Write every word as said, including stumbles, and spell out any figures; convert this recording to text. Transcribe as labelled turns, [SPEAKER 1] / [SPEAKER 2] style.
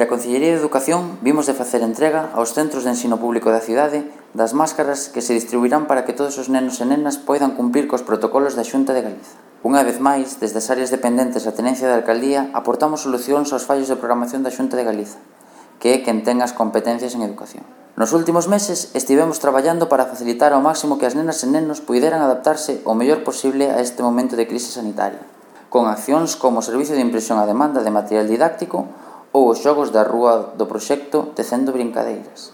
[SPEAKER 1] Dende a Consellería de Educación vimos de facer entrega aos centros de ensino público da cidade das máscaras que se distribuirán para que todos os nenos e nenas poidan cumplir cos protocolos da Xunta de Galiza. Unha vez máis, desde as áreas dependentes da Tenencia da Alcaldía, aportamos solucións aos fallos de programación da Xunta de Galiza, que é quen ten as competencias en educación. Nos últimos meses estivemos traballando para facilitar ao máximo que as nenas e nenos puideran adaptarse o mellor posible a este momento de crise sanitaria, con accións como o servicio de impresión a demanda de material didáctico ou os xogos da rúa do proxecto Tecendo Brincadeiras.